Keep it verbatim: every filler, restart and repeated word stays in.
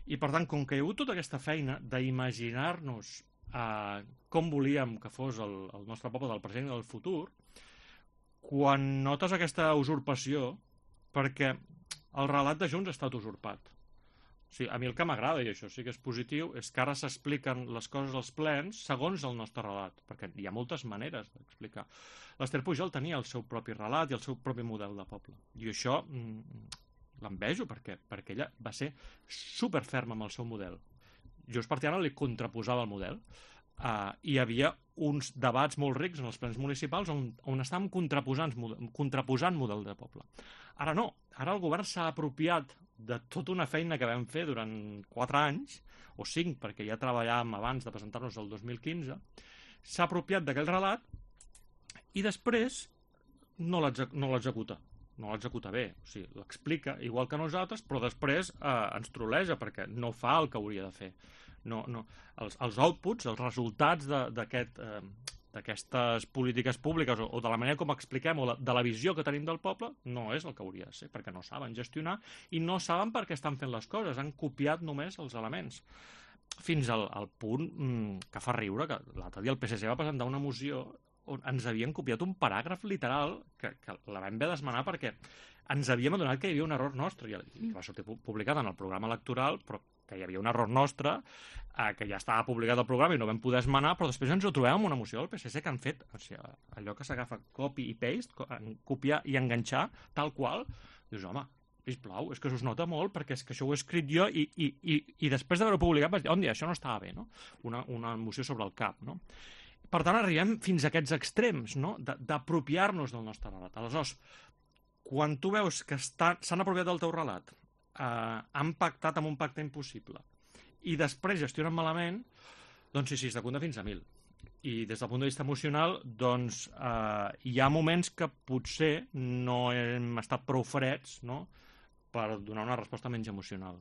I per tant, com que hi ha hagut tota aquesta feina d'imaginar-nos eh, com volíem que fos el, el nostre poble del present i del futur, quan notes aquesta usurpació, perquè el relat de Junts ha estat usurpat. O sigui, a mi el que m'agrada, i això sí que és positiu, és que ara s'expliquen les coses als plens segons el nostre relat, perquè hi ha moltes maneres d'explicar. L'Ester Pujol tenia el seu propi relat i el seu propi model de poble. I això mm, l'envejo, perquè, perquè ella va ser superferma amb el seu model. Junts per Tiana li contraposava el model. Uh, hi havia uns debats molt rics en els plens municipals on, on estàvem contraposant, contraposant model de poble. Ara no, ara el govern s'ha apropiat de tota una feina que vam fer durant quatre anys, o cinc, perquè ja treballàvem abans de presentar-nos el dos mil quinze, s'ha apropiat d'aquell relat i després no l'executa. No l'executa bé, o sigui, l'explica igual que nosaltres, però després eh, ens troleja perquè no fa el que hauria de fer. No, no. Els, els outputs, els resultats d'aquest, eh, d'aquestes polítiques públiques o, o de la manera com expliquem o de, de la visió que tenim del poble no és el que hauria de ser, perquè no saben gestionar i no saben per què estan fent les coses, han copiat només els elements. Fins al, al punt mm, que fa riure que l'altre dia el P S C va presentar una moció on ens havien copiat un paràgraf literal que, que la vam haver d'esmenar perquè ens havíem adonat que hi havia un error nostre i, i va sortir publicat en el programa electoral, però que hi havia un error nostre, eh, que ja estava publicat al programa i no vam poder esmenar, però després ens ho trobem amb una moció del P S C que han fet, o sigui, allò que s'agafa copy i paste, copiar i enganxar, tal qual, dius, home, sisplau, és que us nota molt perquè és que això ho he escrit jo i, i, i, i després d'haver-ho publicat vaig dir, on dia, això no estava bé, no? Una, una moció sobre el cap, no? Per tant, arribem fins a aquests extrems, no? D'apropiar-nos del nostre relat. Aleshores, quan tu veus que s'han apropiat del teu relat, eh, han pactat amb un pacte impossible, i després gestionen malament, doncs sí, sí, es compta fins a mil. I des del punt de vista emocional, doncs, eh, hi ha moments que potser no hem estat prou freds, no?, per donar una resposta menys emocional.